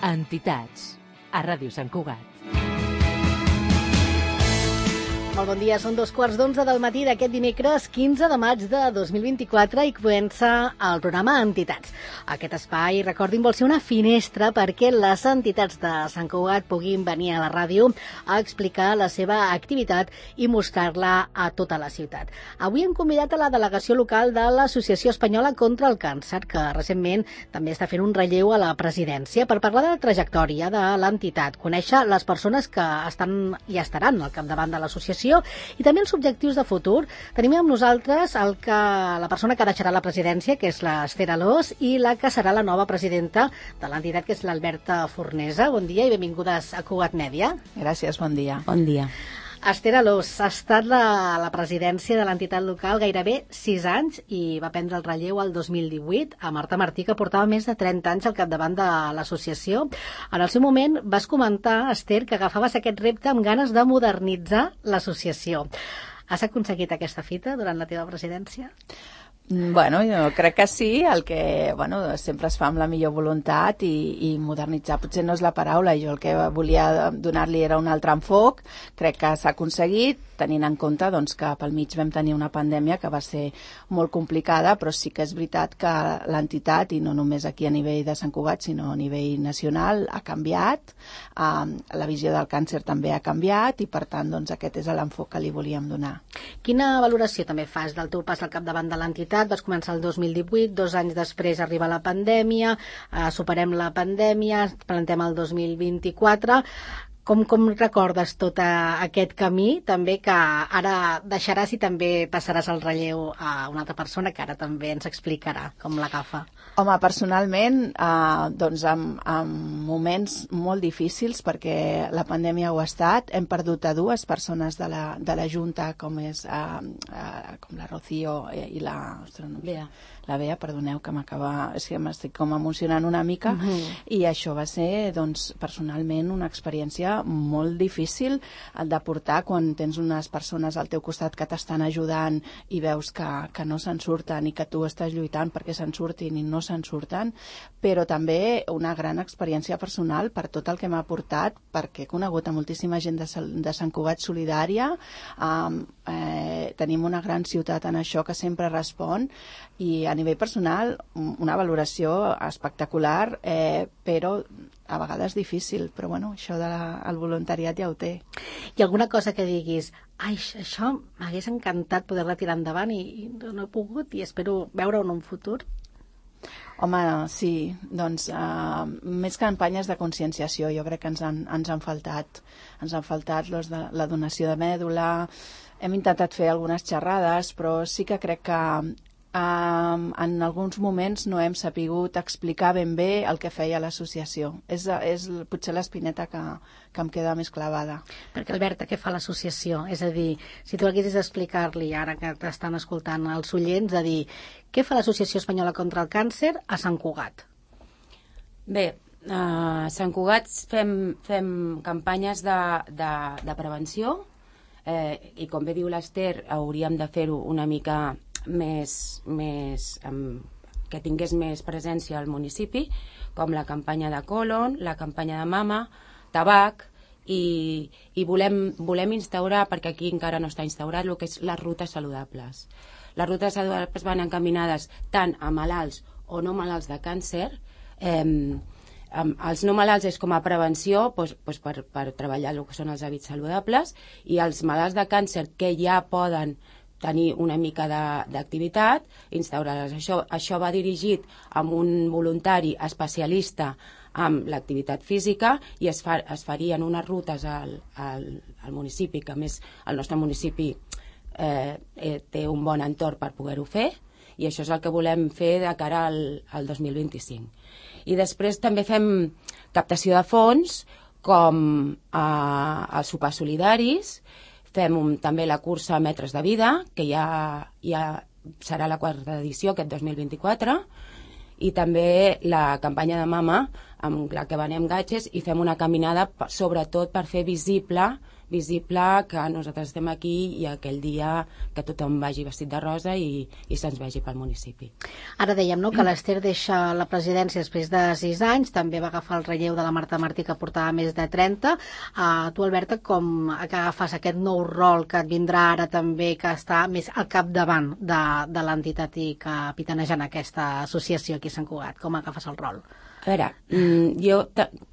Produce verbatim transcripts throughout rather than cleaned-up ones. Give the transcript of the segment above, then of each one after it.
Entitats, a Ràdio Sant Cugat. Molt bon dia, són dos quarts d'onze del matí d'aquest dimecres quinze de maig de dos mil vint-i-quatre i comença el programa Entitats. Aquest espai, recordin, vol ser una finestra perquè les entitats de Sant Cugat puguin venir a la ràdio a explicar la seva activitat i mostrar-la a tota la ciutat. Avui hem convidat a la delegació local de l'Associació Espanyola contra el Càncer, que recentment també està fent un relleu a la presidència, per parlar de la trajectòria de l'entitat, conèixer les persones que estan i estaran al capdavant de l'associació i també els objectius de futur. Tenim amb nosaltres el que, la persona que deixarà la presidència, que és l'Ester Alòs, i la que serà la nova presidenta de l'entitat, que és l'Alberta Fornesa. Bon dia i benvingudes a Cugat Mèdia. Gràcies, bon dia. Bon dia. Ester Alòs ha estat la, la presidència de l'entitat local gairebé sis anys i va prendre el relleu el dos mil divuit a Marta Martí, que portava més de trenta anys al capdavant de l'associació. En el seu moment vas comentar, Ester, que agafaves aquest repte amb ganes de modernitzar l'associació. Has aconseguit aquesta fita durant la teva presidència? Bueno, jo crec que sí, el que bueno, sempre es fa amb la millor voluntat i, i modernitzar potser no és la paraula, jo el que volia donar-li era un altre enfoc, crec que s'ha aconseguit, tenint en compte doncs, que pel mig vam tenir una pandèmia que va ser molt complicada, però sí que és veritat que l'entitat, i no només aquí a nivell de Sant Cugat, sinó a nivell nacional, ha canviat, eh, la visió del càncer també ha canviat i per tant doncs, aquest és l'enfoc que li volíem donar. Quina valoració també fas del teu pas al capdavant de l'entitat? Vas començar el dos mil divuit, dos anys després arriba la pandèmia, eh, superem la pandèmia, plantem el dos mil vint-i-quatre. Com, com recordes tot aquest camí, també que ara deixaràs i també passaràs el relleu a una altra persona que ara també ens explicarà com l'agafa? Home, personalment, eh, doncs en, en moments molt difícils, perquè la pandèmia ho ha estat, hem perdut a dues persones de la, de la Junta, com és eh, eh, com la Rocío i la... Ostres, no, Bea. La Bea, perdoneu, que m'acaba... És que m'estic com emocionant una mica, uh-huh. I això va ser, doncs, personalment una experiència molt difícil de portar quan tens unes persones al teu costat que t'estan ajudant i veus que, que no se'n surten i que tu estàs lluitant perquè se'n surtin i no se'n surten, però també una gran experiència personal per tot el que m'ha portat, perquè he conegut a moltíssima gent de, de Sant Cugat solidària, um, eh, tenim una gran ciutat en això que sempre respon, i a nivell personal una valoració espectacular, eh, però a vegades difícil, però bueno, això del voluntariat ja ho té. I alguna cosa que diguis, ai, això m'hagués encantat poder-la tirar endavant i, i no he pogut i espero veure-ho en un futur? Home, sí, doncs uh, més campanyes de conscienciació jo crec que ens han, ens han faltat. Ens han faltat los de, la donació de mèdula, hem intentat fer algunes xerrades, però sí que crec que Um, en alguns moments no hem sapigut explicar ben bé el que feia l'associació. És, és potser l'espineta que, que em queda més clavada. Perquè, Alberta, què fa l'associació? És a dir, si tu haguessis d'explicar-li, ara que t'estan escoltant els oients, a dir, què fa l'Associació Espanyola contra el Càncer a Sant Cugat? Bé, a Sant Cugat fem, fem campanyes de, de, de prevenció, eh, i com bé diu l'Ester, hauríem de fer-ho una mica més, més um, que tingués més presència al municipi, com la campanya de colon, la campanya de mama, tabac, i, i volem, volem instaurar, perquè aquí encara no està instaurat, el que és les rutes saludables. Les rutes saludables van encaminades tant a malalts o no malalts de càncer. Eh, els no malalts és com a prevenció, doncs, doncs per, per treballar el que són els hàbits saludables, i els malalts de càncer que ja poden tenir una mica d'activitat, instaurar-les. Això, això va dirigit amb un voluntari especialista amb l'activitat física i es, fa, es farien unes rutes al, al, al municipi, que a més el nostre municipi eh, eh, té un bon entorn per poder-ho fer, i això és el que volem fer de cara al, al dos mil vint-i-cinc. I després també fem captació de fons, com eh, els sopars solidaris. Fem un, també la cursa Metres de Vida, que ja, ja serà la quarta edició aquest dos mil vint-i-quatre, i també la campanya de mama, amb la que venem gatges, i fem una caminada sobretot per fer visible visible que nosaltres estem aquí i aquell dia que tothom vagi vestit de rosa i, i se'ns vegi pel municipi. Ara dèiem, no?, que l'Ester deixa la presidència després de sis anys, també va agafar el relleu de la Marta Martí, que portava més de trenta. Uh, tu, Alberta, com agafes aquest nou rol que et vindrà ara també, que està més al capdavant de, de l'entitat i capitanejant aquesta associació aquí a Sant Cugat? Com agafes el rol? A veure, jo,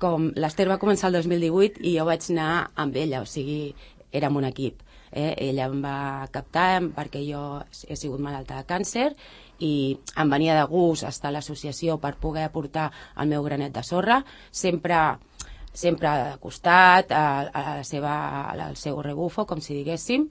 com l'Ester va començar el dos mil divuit i jo vaig anar amb ella, o sigui, érem un equip. Eh? Ella em va captar perquè jo he sigut malalta de càncer i em venia de gust estar a l'associació per poder aportar el meu granet de sorra, sempre, sempre de costat, a, a la seva, al seu rebufo, com si diguéssim.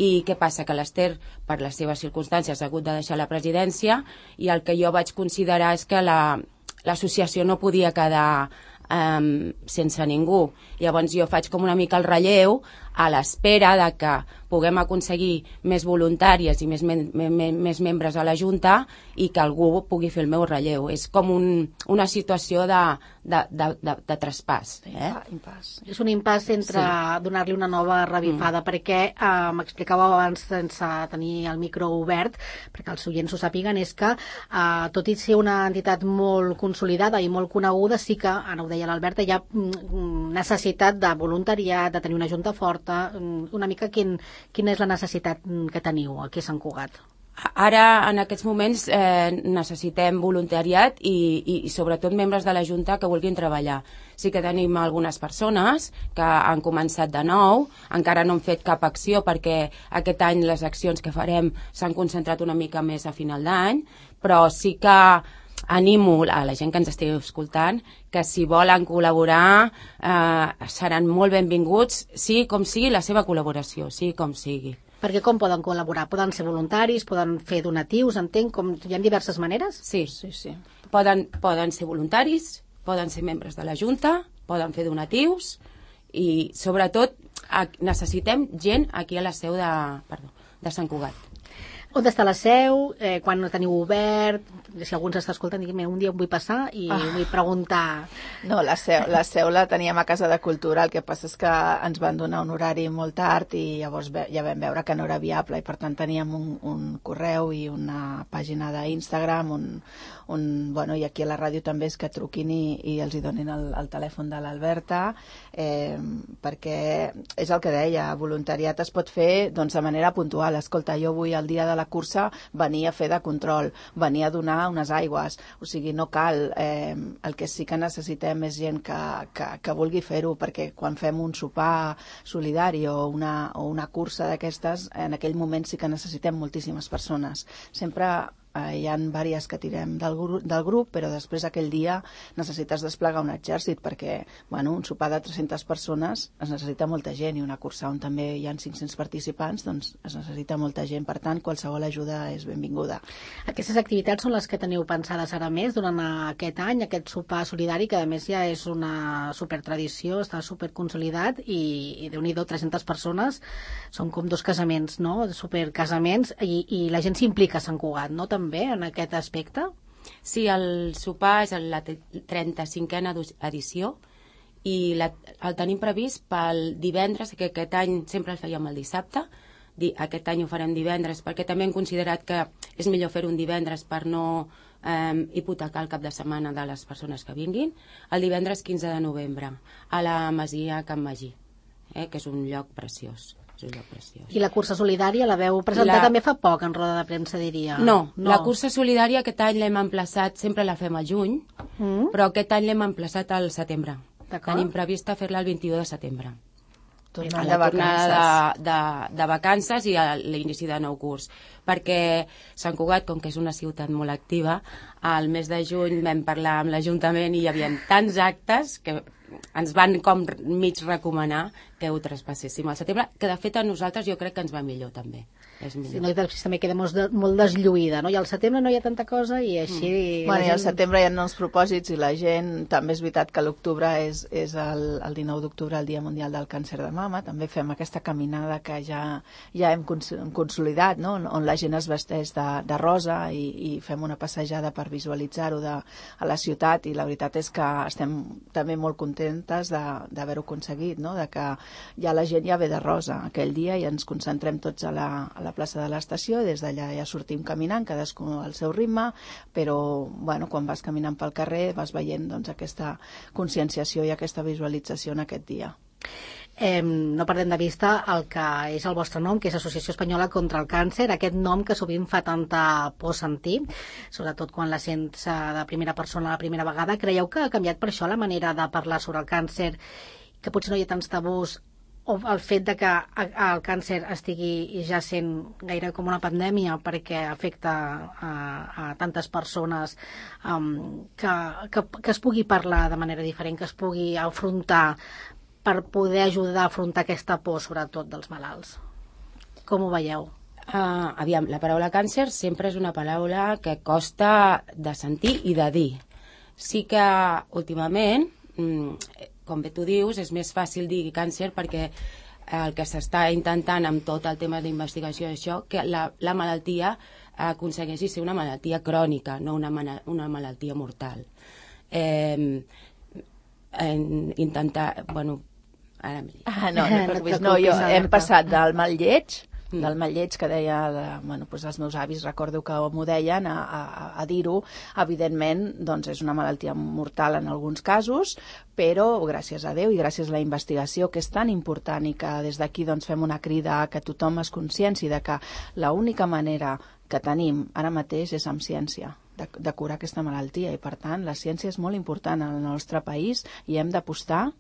I què passa? Que l'Ester, per les seves circumstàncies, ha hagut de deixar la presidència i el que jo vaig considerar és que la l'associació no podia quedar um, sense ningú. Llavors jo faig com una mica el relleu a l'espera de que puguem aconseguir més voluntàries i més, me me més membres a la Junta i que algú pugui fer el meu relleu. És com un, una situació de, de, de, de, de traspàs. Eh? Impàs. És un impàs entre sí. donar-li una nova revifada, mm. perquè eh, m'explicàveu abans sense tenir el micro obert, perquè els oients ho sàpiguen, és que eh, tot i ser una entitat molt consolidada i molt coneguda, sí que, ara ho deia l'Alberta, hi ha mm, necessitat de voluntariat, de tenir una junta forta. Una mica quin, quina és la necessitat que teniu aquí a Sant Cugat? Ara, en aquests moments, eh, necessitem voluntariat i, i, i sobretot membres de la Junta que vulguin treballar. Sí que tenim algunes persones que han començat de nou, encara no han fet cap acció perquè aquest any les accions que farem s'han concentrat una mica més a final d'any, però sí que animo a la gent que ens estigui escoltant que si volen col·laborar eh, seran molt benvinguts, sigui com sigui la seva col·laboració, sigui com sigui. Perquè com poden col·laborar? Poden ser voluntaris, poden fer donatius, entenc, com hi ha diverses maneres? Sí, sí, sí. Poden, poden ser voluntaris, poden ser membres de la Junta, poden fer donatius i sobretot necessitem gent aquí a la seu de, perdó, de Sant Cugat. On està la seu? Eh, quan no teniu obert? Si algú ens està escoltant, digui, un dia em vull passar i ah. vull preguntar. No, la seu, la seu la teníem a Casa de Cultura, el que passa és que ens van donar un horari molt tard i llavors ja vam veure que no era viable i per tant teníem un, un correu i una pàgina d'Instagram on, on, bueno, i aquí a la ràdio també és que truquin i, i els hi donin el, el telèfon de l'Alberta, eh, perquè és el que deia, voluntariat es pot fer doncs, de manera puntual. Escolta, jo vull el dia de la cursa venir a fer de control, venir a donar unes aigües, o sigui, no cal. Eh, el que sí que necessitem és gent que, que, que vulgui fer-ho, perquè quan fem un sopar solidari o una, o una cursa d'aquestes, en aquell moment sí que necessitem moltíssimes persones. Sempre eh, hi ha diverses que tirem del, gru del grup, però després aquell dia necessites desplegar un exèrcit, perquè bueno, un sopar de tres-centes persones es necessita molta gent, i una cursa on també hi ha cinc-cents participants, doncs es necessita molta gent, per tant qualsevol ajuda és benvinguda. Aquestes activitats són les que teniu pensades ara més durant aquest any, aquest sopar solidari, que a més ja és una supertradició, està superconsolidat i, i Déu-n'hi-do, tres-centes persones són com dos casaments, no? Supercasaments, i, i la gent s'implica a Sant Cugat, no? També en aquest aspecte? Sí, el sopar és la trenta-cinquena edició i la, el tenim previst pel divendres, que aquest any sempre el fèiem el dissabte. Aquest any ho farem divendres perquè també hem considerat que és millor fer un divendres per no eh, hipotecar el cap de setmana de les persones que vinguin. El divendres quinze de novembre a la Masia Can Magí, eh, que és un lloc preciós. És un lloc preciós. I la cursa solidària la veu presentar la... també fa poc en roda de premsa, diria. No, no, la cursa solidària aquest any l'hem emplaçat, sempre la fem al juny, mm. però aquest any l'hem emplaçat al setembre. Tenim prevista fer-la el vint-i-u de setembre. Tornant a la tornada de, de, de vacances i a l'inici de nou curs, perquè Sant Cugat, com que és una ciutat molt activa, al mes de juny vam parlar amb l'Ajuntament i hi havia tants actes que ens van com mig recomanar que ho traspasséssim al setembre, que de fet a nosaltres jo crec que ens va millor també. és millor. Sí, no, i també queda molt, de, molt deslluïda, no? I al setembre no hi ha tanta cosa i així... Mm. Bueno, gent... i al setembre hi ha els propòsits i la gent, també és veritat que l'octubre és, és el, el dinou d'octubre, el Dia Mundial del Càncer de Mama, també fem aquesta caminada que ja, ja hem consolidat, no? On la gent es vesteix de, de rosa i, i fem una passejada per visualitzar-ho a la ciutat, i la veritat és que estem també molt contentes d'haver-ho aconseguit, no? De que ja la gent ja ve de rosa aquell dia i ens concentrem tots a la, a la plaça de l'estació i des d'allà ja sortim caminant, cadascú al seu ritme, però bueno, quan vas caminant pel carrer vas veient doncs, aquesta conscienciació i aquesta visualització en aquest dia. Eh, no perdem de vista el que és el vostre nom, que és Associació Espanyola contra el Càncer, aquest nom que sovint fa tanta por sentir, sobretot quan la sents de primera persona la primera vegada. Creieu que ha canviat per això la manera de parlar sobre el càncer, que potser no hi ha tants tabús, o el fet de que el càncer estigui ja sent gaire com una pandèmia perquè afecta a, a tantes persones, um, que, que, que es pugui parlar de manera diferent, que es pugui afrontar per poder ajudar a afrontar aquesta por, sobretot dels malalts? Com ho veieu? Uh, aviam, la paraula càncer sempre és una paraula que costa de sentir i de dir. Sí que últimament, com bé tu dius, és més fàcil dir càncer perquè el que s'està intentant amb tot el tema d'investigació d'això, que la, la malaltia aconsegueixi ser una malaltia crònica, no una, una malaltia mortal. Eh, intentar, bueno, ara m'he dit. Ah, no, no, no, no, jo hem passat del mal lleig, del mal lleig que deia, bueno, doncs els meus avis, recordo que m'ho deien, a, a, a dir-ho. Evidentment, doncs és una malaltia mortal en alguns casos, però gràcies a Déu i gràcies a la investigació, que és tan important, i que des d'aquí doncs fem una crida a que tothom es conscienci de que l'única manera que tenim ara mateix és amb ciència de, de curar aquesta malaltia, i per tant la ciència és molt important en el nostre país i hem d'apostar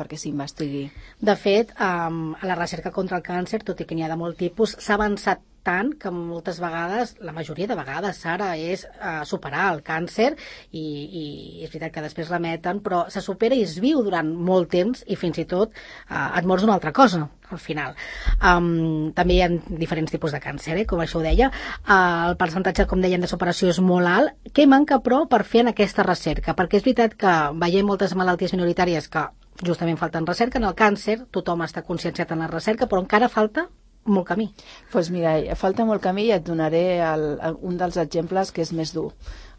perquè s'investigui. De fet, um, a la recerca contra el càncer, tot i que n'hi ha de molt tipus, s'ha avançat tant que moltes vegades, la majoria de vegades, Sara, és uh, superar el càncer i, i és veritat que després remeten, però se supera i es viu durant molt temps i fins i tot uh, et mors d'una altra cosa al final. Um, també hi ha diferents tipus de càncer, eh, com això ho deia. Uh, el percentatge, com deien, de superació és molt alt. Què manca, però, per fer en aquesta recerca? Perquè és veritat que veiem moltes malalties minoritàries que justament falten recerca. En el càncer tothom està conscienciat en la recerca, però encara falta molt camí. Doncs pues mira, falta molt camí i et donaré el, un dels exemples que és més dur,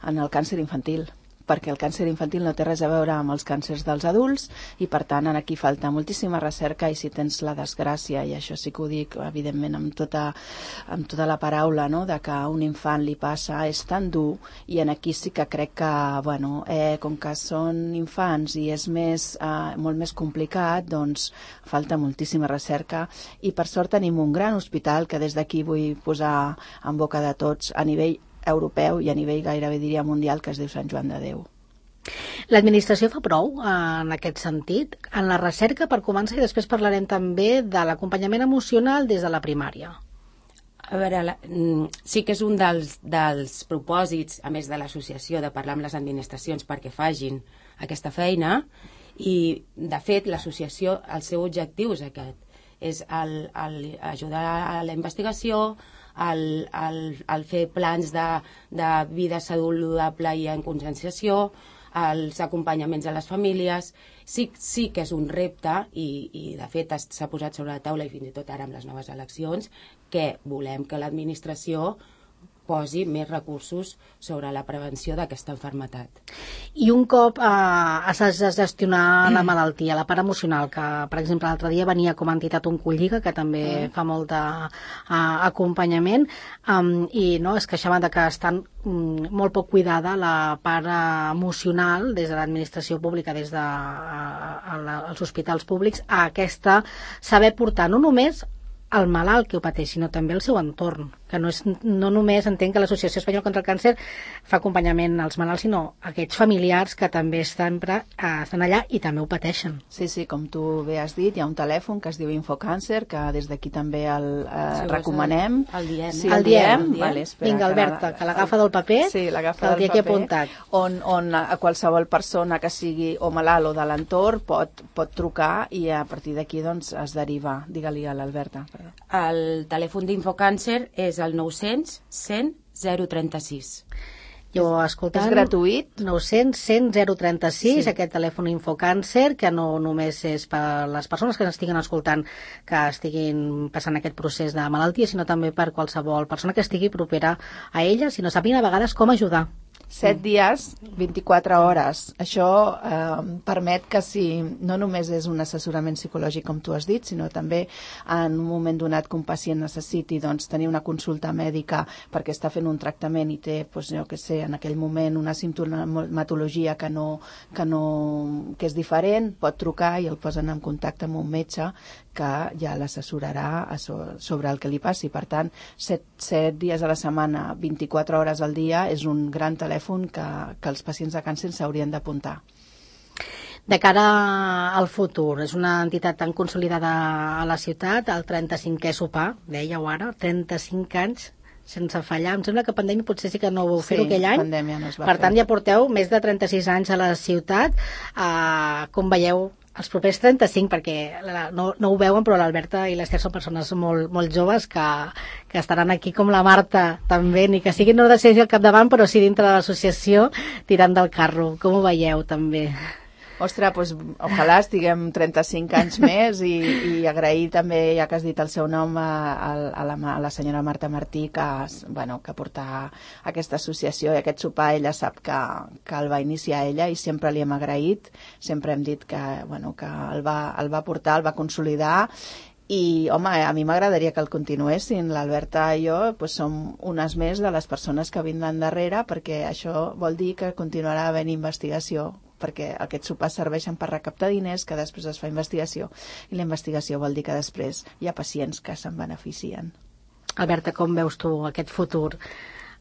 en el càncer infantil, perquè el càncer infantil no té res a veure amb els càncers dels adults i per tant aquí falta moltíssima recerca, i si tens la desgràcia, i això sí que ho dic evidentment amb tota, amb tota la paraula, no?, de que a un infant li passa, és tan dur, i en aquí sí que crec que, bueno, eh, com que són infants i és més, eh, molt més complicat, doncs falta moltíssima recerca, i per sort tenim un gran hospital que des d'aquí vull posar en boca de tots a nivell europeu i a nivell gairebé diria mundial, que es diu Sant Joan de Déu. L'administració fa prou en aquest sentit, en la recerca, per començar, i després parlarem també de l'acompanyament emocional des de la primària. A veure, la, sí que és un dels, dels propòsits, a més de l'associació, de parlar amb les administracions perquè facin aquesta feina, i de fet l'associació, el seu objectiu és aquest, és el, el ajudar a la investigació, el, el, el fer plans de, de vida saludable i en conscienciació, els acompanyaments a les famílies. Sí, sí que és un repte i, i de fet s'ha posat sobre la taula, i fins i tot ara amb les noves eleccions, que volem que l'administració posi més recursos sobre la prevenció d'aquesta malaltia. I un cop eh, has de gestionar la malaltia, la part emocional, que per exemple l'altre dia venia com a entitat Oncolliga, que també mm. fa molt d'acompanyament, um, i no, es queixaven de que estan um, molt poc cuidada la part emocional des de l'administració pública, des dels hospitals públics, a aquesta saber portar no només el malalt que ho pateix, sinó també el seu entorn, que no, és, no només entenc que l'Associació Espanyola contra el Càncer fa acompanyament als malalts, sinó aquests familiars que també estan, eh, estan allà i també ho pateixen. Sí, sí, com tu bé has dit, hi ha un telèfon que es diu Infocàncer, que des d'aquí també el eh, sí, recomanem. El diem. Sí, el el diem. diem. Vale, espera, Vinga, Alberta, que l'agafa del paper, sí, l'agafa que el del dia que he paper, apuntat. On, on a qualsevol persona que sigui o malalt o de l'entorn pot, pot trucar i a partir d'aquí doncs, es deriva. Digue-li a l'Alberta. Perdó. El telèfon d'Infocàncer és el nou-cents cent zero trenta-sis. Jo escoltant... És gratuït? nou-cents cent zero trenta-sis, Sí. aquest telèfon Infocàncer, que no només és per les persones que estiguen escoltant, que estiguin passant aquest procés de malaltia, sinó també per qualsevol persona que estigui propera a ella, si no sàpiguen a vegades com ajudar. Set dies, vint-i-quatre hores. Això eh, permet que si no només és un assessorament psicològic, com tu has dit, sinó també en un moment donat que un pacient necessiti doncs, tenir una consulta mèdica perquè està fent un tractament i té, doncs, jo què sé, en aquell moment una simptomatologia que, no, que, no, que és diferent, pot trucar i el posen en contacte amb un metge que ja l'assessorarà sobre el que li passi. Per tant, set, set dies a la setmana, vint-i-quatre hores al dia, és un gran telèfon que, que els pacients de càncer s'haurien d'apuntar. De cara al futur, és una entitat tan consolidada a la ciutat, el trenta-cinquè sopar, dèieu ara, trenta-cinc anys sense fallar. Em sembla que pandèmia potser sí que no ho vau fer Sí, aquell any. pandèmia no es va per fer. tant, ja porteu més de trenta-sis anys a la ciutat. Uh, com veieu, els propers trenta-cinc, perquè la, no, no ho veuen, però l'Alberta i l'Ester són persones molt, molt joves que, que estaran aquí com la Marta també, ni que siguin no de ser al capdavant, però sí dintre de l'associació tirant del carro. Com ho veieu també? Ostres, doncs, ojalà estiguem trenta-cinc anys més i, i agrair també, ja que has dit el seu nom, a, a, la, a la senyora Marta Martí, que, bueno, que porta aquesta associació i aquest sopar. Ella sap que, que el va iniciar ella i sempre li hem agraït, sempre hem dit que, bueno, que el, va, el va portar, el va consolidar. I, home, a mi m'agradaria que el continuessin. L'Alberta i jo doncs, som unes més de les persones que vindran darrere, perquè això vol dir que continuarà havent investigació, perquè aquests sopars serveixen per recaptar diners, que després es fa investigació, i la investigació vol dir que després hi ha pacients que se'n beneficien. Alberta, com veus tu aquest futur?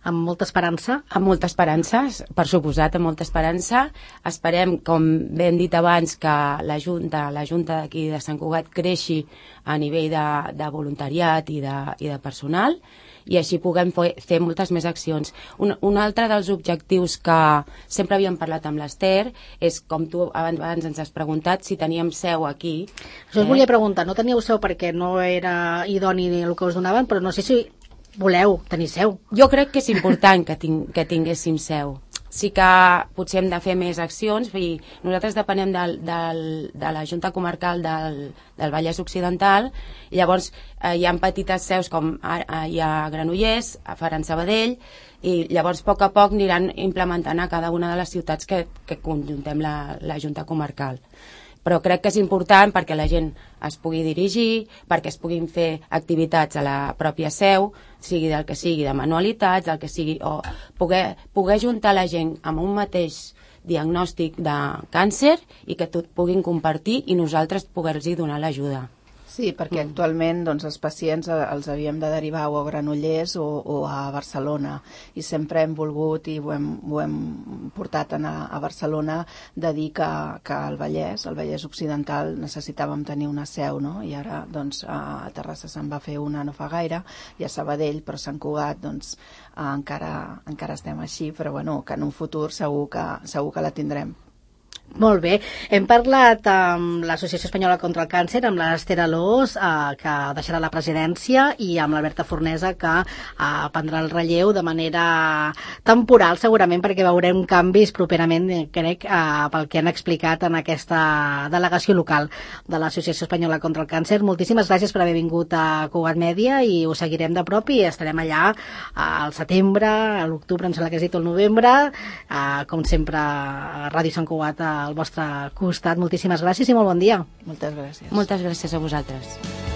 Amb molta esperança? Amb molta esperança, per suposat, amb molta esperança. Esperem, com bé hem dit abans, que la Junta, la Junta d'aquí de Sant Cugat creixi a nivell de, de voluntariat i de, i de personal, i així puguem fer moltes més accions. Un, un altre dels objectius que sempre havíem parlat amb l'Ester és, com tu abans, abans ens has preguntat, si teníem seu aquí. Això us eh? volia preguntar, no teníeu seu perquè no era idoni el que us donaven, però no sé si voleu tenir seu. Jo crec que és important que, ting que tinguéssim seu. Sí que potser hem de fer més accions, i nosaltres depenem del, del, de la Junta Comarcal del, del Vallès Occidental, i llavors eh, hi ha petites seus com a, hi ha Granollers, a Faran Sabadell, i llavors a poc a poc aniran implementant a cada una de les ciutats que, que conjuntem la, la Junta Comarcal. Però crec que és important perquè la gent es pugui dirigir, perquè es puguin fer activitats a la pròpia seu, sigui del que sigui, de manualitats, del que sigui, o poder, poder juntar la gent amb un mateix diagnòstic de càncer i que tot puguin compartir i nosaltres poder-los donar l'ajuda. Sí, perquè actualment doncs, els pacients els havíem de derivar o a Granollers o, o a Barcelona, i sempre hem volgut i ho hem, ho hem portat a, a Barcelona de dir que, que al Vallès, al Vallès Occidental, necessitàvem tenir una seu, no? I ara doncs, a Terrassa se'n va fer una no fa gaire, i a Sabadell, però a Sant Cugat doncs, encara, encara estem així, però bueno, que en un futur segur que, segur que la tindrem. Molt bé. Hem parlat amb l'Associació Espanyola contra el Càncer, amb l'Ester Alòs, eh, que deixarà la presidència, i amb l'Alberta Fornesa, que eh, prendrà el relleu de manera temporal, segurament, perquè veurem canvis properament, crec, eh, pel que han explicat en aquesta delegació local de l'Associació Espanyola contra el Càncer. Moltíssimes gràcies per haver vingut a Cugat Mèdia, i us seguirem de prop i estarem allà al setembre, a l'octubre, em sembla que has dit, el novembre, eh, com sempre, a Ràdio Sant Cugat, al vostre costat. Moltíssimes gràcies i molt bon dia. Moltes gràcies. Moltes gràcies a vosaltres.